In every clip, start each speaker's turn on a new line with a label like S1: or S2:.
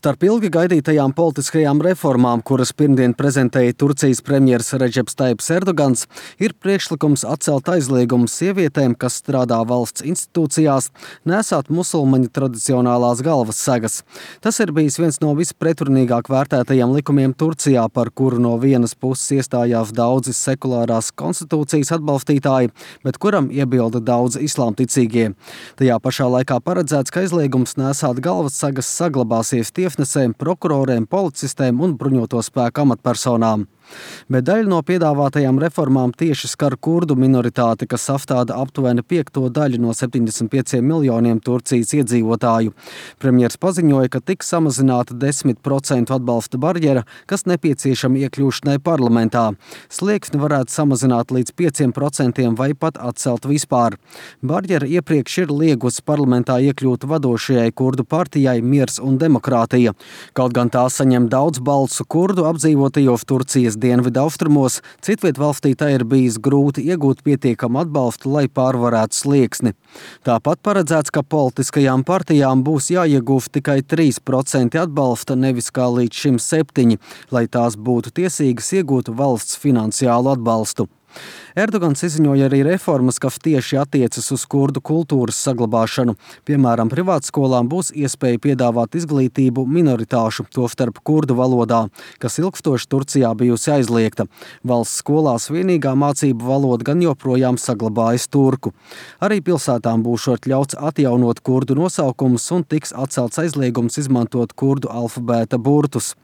S1: Starp ilgi gaidītajām politiskajām reformām, kuras pirmdien prezentēja Turcijas premjers Redžeps Tajibs Erdogans, ir priekšlikums atcelt aizliegumu sievietēm, kas strādā valsts institūcijās, nesāt musulmaņu tradicionālās galvas segas. Tas ir bijis viens no vispretrunīgāk vērtētajiem likumiem Turcijā, par kuru no vienas puses iestājās daudzi sekulārās konstitūcijas atbalstītāji, bet kuram iebilda daudzi islāmticīgie. Tajā pašā laikā paredzēts, ka aizliegums nesāt galvas segas saglabāsies tiesnesēm, prokuroriem, policistēm un bruņoto spēku amatpersonām. Bet daļa no piedāvātajām reformām tieši skar kurdu minoritāti, kas sastāda aptuveni 5. daļu no 75 miljoniem Turcijas iedzīvotāju. Premjers paziņoja, ka tiks samazināta 10% atbalsta barjera, kas nepieciešama iekļūšanai parlamentā. Slieksni varētu samazināt līdz 5% vai pat atcelt vispār. Barjera iepriekš ir liegusi parlamentā iekļūt vadošajai kurdu partijai Miers un demokrātija. Kaut gan tā saņem daudz balsu kurdu apdzīvotajos Turcijas dienvidu austrumos, citviet valstī tā ir bijis grūti iegūt pietiekamu atbalstu, lai pārvarētu slieksni. Tāpat paredzēts, ka politiskajām partijām būs jāiegūst tikai 3% atbalsta, nevis kā līdz šim 7%, lai tās būtu tiesīgas iegūt valsts finansiālu atbalstu. Erdogans izziņoja arī reformas, kas tieši attiecas uz kurdu kultūras saglabāšanu. Piemēram, privātskolām būs iespēja piedāvāt izglītību minoritāšu, tostarp kurdu valodā, kas ilgstoši Turcijā bijusi aizliegta. Valsts skolās vienīgā mācību valoda gan joprojām saglabājas turku. Arī pilsētām būšot ļauts atjaunot kurdu nosaukumus un tiks atcelts aizliegums izmantot kurdu alfabēta burtus.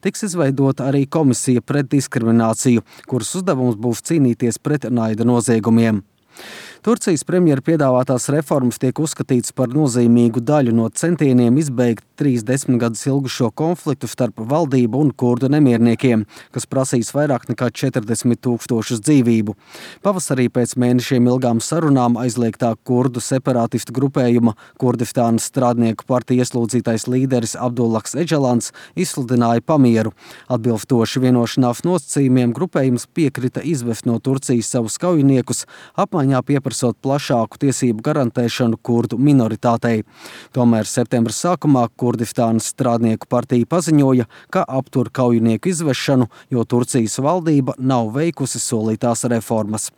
S1: Tiks izveidota arī komisija pret diskrimināciju, kuras uzdevums būs cīnīties pret naida noziegumiem. Turcijas premjera piedāvātās reformas tiek uzskatītas par nozīmīgu daļu no centieniem izbeigt 30 gadus ilgušo konfliktu starp valdību un kurdu nemierniekiem, kas prasīs vairāk nekā 40 000 dzīvību. Pavasarī pēc mēnešiem ilgām sarunām aizliegtā kurdu separātistu grupējuma Kurdistānas strādnieku partija ieslodzītais līderis Abdullahs Eģelans izsludināja pamieru. Atbilstoši vienošanās nosacījumiem grupējums piekrita izvest no Turcijas savus kaujiniekus, apmaiņā pieprasot plašāku tiesību garantēšanu kurdu minoritātei. Tomēr septembra sākumā Kurdistānas strādnieku partija paziņoja, ka aptur kaujinieku izvešanu, jo Turcijas valdība nav veikusi solītās reformas.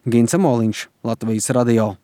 S1: Gince Moliņš, Latvijas radio.